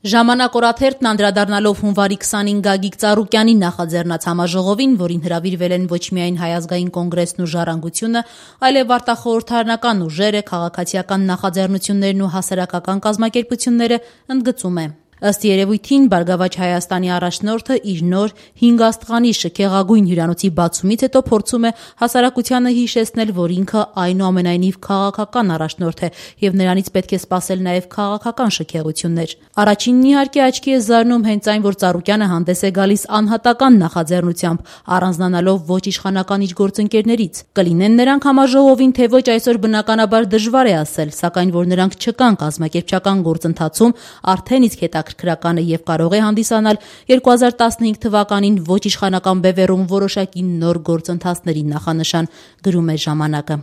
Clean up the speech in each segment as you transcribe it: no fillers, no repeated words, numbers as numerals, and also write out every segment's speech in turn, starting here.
Ժամանակ օրաթերթն անդրադառնալով հունվարի 25 Գագիկ Ծառուկյանի նախաձեռնած համաժողովին, որին հրավիրվել են ոչ միայն Հայ ազգային կոնգրեսն ու Ժառանգությունը, այլև արտախորհրդարանական ուժերը, քաղաքացիական նախաձեռնություններն ու հասարակական կազմակերպությունները, ընդգծում է. Ըստ երևույթին, Բարգավաճ Հայաստանի առաջնորդը իր նոր 5 աստղանի շքեղագույն հյուրանոցի բացումից հետո փորձում է հասարակությանը հիշեցնել, որ ինքը այնուամենայնիվ քաղաքական առաջնորդ է եւ նրանից պետք է սպասել նաեւ քաղաքական շքեղություններ։ Առաջինն իհարկե աչքի է զարնում հենց այն, որ Ծառուկյանը հանդես է գալիս անհատական նախաձեռնությամբ, առանձնանալով ոչ իշխանական իր գործընկերներից։ Կլինեն նրանք համաժողովին, թե ոչ, այսօր բնականաբար դժվար է ասել, սակայն որ նրանք չկան կազմակերպչական գործընթացում, արդեն իսկ հետաքրքրական է եւ կարող է հանդիսանալ 2015 թվականին ոչ իշխանական բևեռում որոշակի նոր գործընթացների նախանշան, գրում է ժամանակը։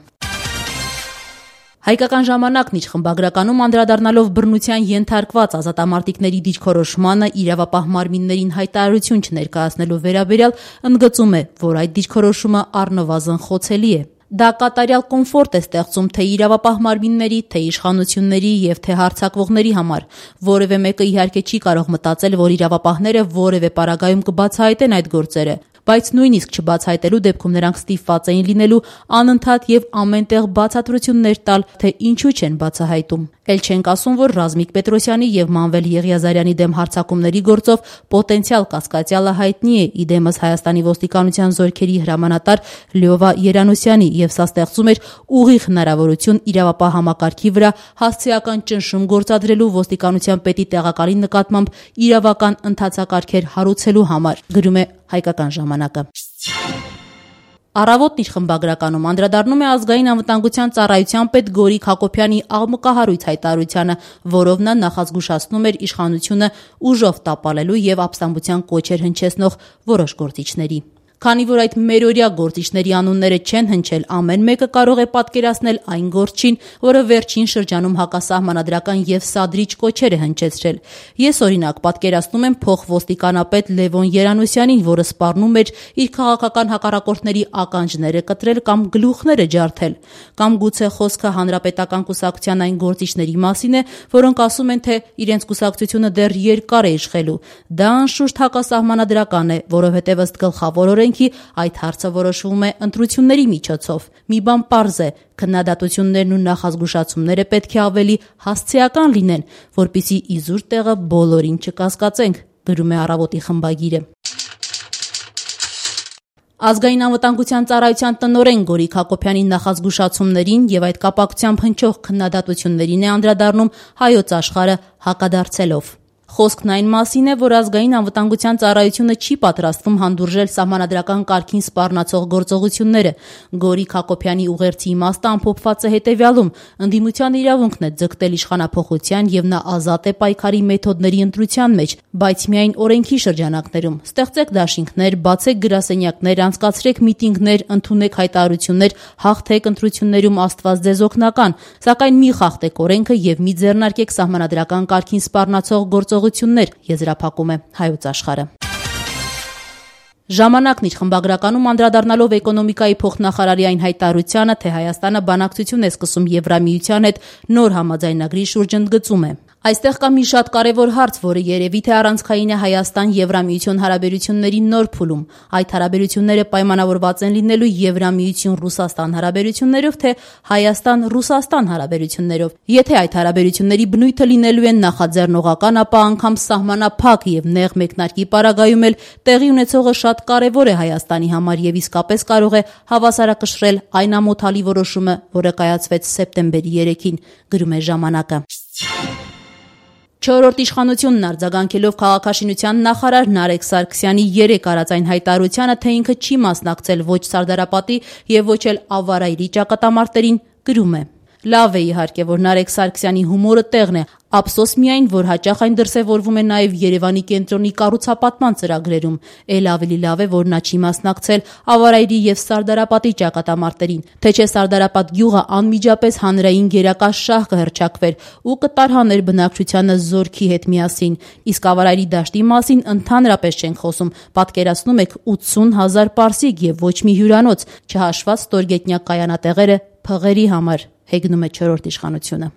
Հայկական ժամանակն իր խմբագրականում անդրադառնալով բռնության ենթարկված ազատամարտիկների դիրքորոշմանը իրավապահ մարմիններին հայտարարություն չներկայացնելու վերաբերյալ ընդգծում է, որ այդ դիրքորոշումը առնվազն խոցելի է։ Դա կատարյալ կոմֆորտ է ստեղծում թե իրավապահ մարմինների, թե իշխանությունների եւ թե հարձակվողների համար։ Որևէ մեկը իհարկե չի կարող մտածել, որ իրավապահները որևէ պարագայում կբացահայտեն այդ գործերը, բայց նույնիսկ չբացահայտելու դեպքում նրանք ստիպված էին լինելու անընդհատ եւ ամենտեղ բացատրություններ տալ, թե ինչու չեն բացահայտում։ Էլ չենք ասում, որ Ռազմիկ Պետրոսյանի եւ Մանվել Եղիազարյանի դեմ հարձակումների գործով պոտենցիալ կասկածյալը հայտնի է իդեմս Հայաստանի ոստիկանության զորքերի հրամանատար Լյովա Երանոսյանի, եւ սա ստեղծում էր ուղիղ հնարավորություն իրավապահ համակարգի վրա հասցեական ճնշում գործադրելու ոստիկանության պետի տեղակալի նկատմամբ իրավական ընթացակարգեր հարուցելու համար, գրում է Հայկական ժամանակը։ Առավոտն իր խմբագրականում անդրադառնում է ազգային անվտանգության ծառայության պետ Գորիկ Հակոբյանի աղմկահարույց հայտարարությանը, որով նա նախազգուշացնում էր իշխանությունը ուժով տապալելու եւ ապստամբության կոչեր հնչեցնող որոշ գործիչների։ Քանի որ այդ մերօրյա գործիչների անունները չեն հնչել, ամեն մեկը կարող է պատկերացնել այն գործչին, որը վերջին շրջանում հակասահմանադրական եւ սադրիչ կոչեր է հնչեցրել։ Ես օրինակ պատկերացնում եմ փոխոստիկանապետ Լևոն Երանոսյանին, որը սպառնում էր իր քաղաքական հակառակորդների ականջները կտրել կամ գլուխները ջարդել, կամ գուցե խոսքը հանրապետական կուսակցության այն գործիչների մասին է, որոնք ասում են, թե իրենց կուսակցությունը դեռ երկար է իշխելու։ Դա անշուշտ հակասահմանադրական է, որովհետեւ ըստ գլխավոր օրենքի այդ հարցը որոշվում է ընտրությունների միջոցով։ Մի բան պարզ է, քննադատություններն ու նախազգուշացումները պետք է ավելի հասցեական լինեն, որպեսզի իզուր տեղը բոլորին չկասկածենք, գրում է Առավոտի խմբագիրը։ Ազգային անվտանգության ծառայության տնօրեն Գորիկ Հակոբյանի նախազգուշացումներին եւ այդ կապակցությամբ հնչող քննադատություններին է անդրադառնում Հայոց Աշխարհը հակադարձելով։ Խոսքն այն մասին է, որ ազգային անվտանգության ծառայությունը չի պատրաստվում հանդուրժել սահմանադրական կարգին սպառնացող գործողությունները։ Գորիկ Հակոբյանի ուղերձի իմաստը ամփոփված է հետևյալում. ընդդիմության իրավունքն է ձգտել իշխանափոխության եւ նա ազատ է պայքարի մեթոդների ընտրության մեջ, բայց միայն օրենքի շրջանակներում։ Ստեղծեք դաշինքներ, բացեք գրասենյակներ, անցկացրեք միտինգներ, ընդունեք հայտարարություններ, հաղթեք ընտրություններում Աստված ձեզ օգնական, սակայն մի խախտեք օրենքը եւ մի ձեռնարկեք սահմանադրական կարգին սպառնացող գործողություններ, եզրափակում է Հայոց Աշխարհը։ Ժամանակն իր խմբագրականում անդրադառնալով էկոնոմիկայի փոխնախարարի այն հայտարարությանը, թե Հայաստանը բանակցություն է սկսում Եվրամիության հետ նոր համաձայնագրի շուրջ, ընդգծում է. Այստեղ կա մի շատ կարևոր հարց, որը երևի թե առանցքային է Հայաստան-Եվրամիություն հարաբերությունների նոր փուլում։ Այդ հարաբերությունները պայմանավորված են լինելու Եվրամիություն-Ռուսաստան հարաբերություններով, թե Հայաստան-Ռուսաստան հարաբերություններով։ Եթե այդ հարաբերությունների բնույթը լինելու են նախաձեռնողական, ապա անգամ սահմանափակ եւ նեղ մեկնարկի պարագայում էլ տեղի ունեցողը շատ կարևոր է Հայաստանի համար եւ իսկապես կարող է հավասարակշռել այն ամոթալի որոշումը, որը կայացվեց սեպտեմբերի 3-ին, գրում է ժամանակը։ Չորրորդ իշխանությունն արձագանքելով քաղաքաշինության նախարար Նարեկ Սարգսյանի 3 արած այն հայտարարությանը, թե ինքը չի մասնակցել ոչ Սարդարապատի եւ ոչ էլ Ավարայրի ճակատամարտերին, գրում է. Լավ է իհարկե, որ Նարեկ Սարգսյանի հումորը տեղն է, ափսոս միայն, որ հաճախ այն դրսևորվում է նաև Երևանի կենտրոնի կառուցապատման ծրագրերում։ Էլ ավելի լավ է, որ նա չի մասնակցել Ավարայրի եւ Սարդարապատի ճակատամարտերին, թե չէ Սարդարապատ գյուղը անմիջապես հանրային գերակաշահ կհռչակվեր ու կտարհաներ բնակչությանը զորքի հետ միասին։ Իսկ Ավարայրի դաշտի մասին ընդհանրապես չենք խոսում, պատկերացնում եք 80,000 պարսիկ եւ ոչ մի հյուրանոց, չհաշված ստորգետնյա կայանատեղերը փղերի համար, հեգնում է չորրորդ իշխանությունը։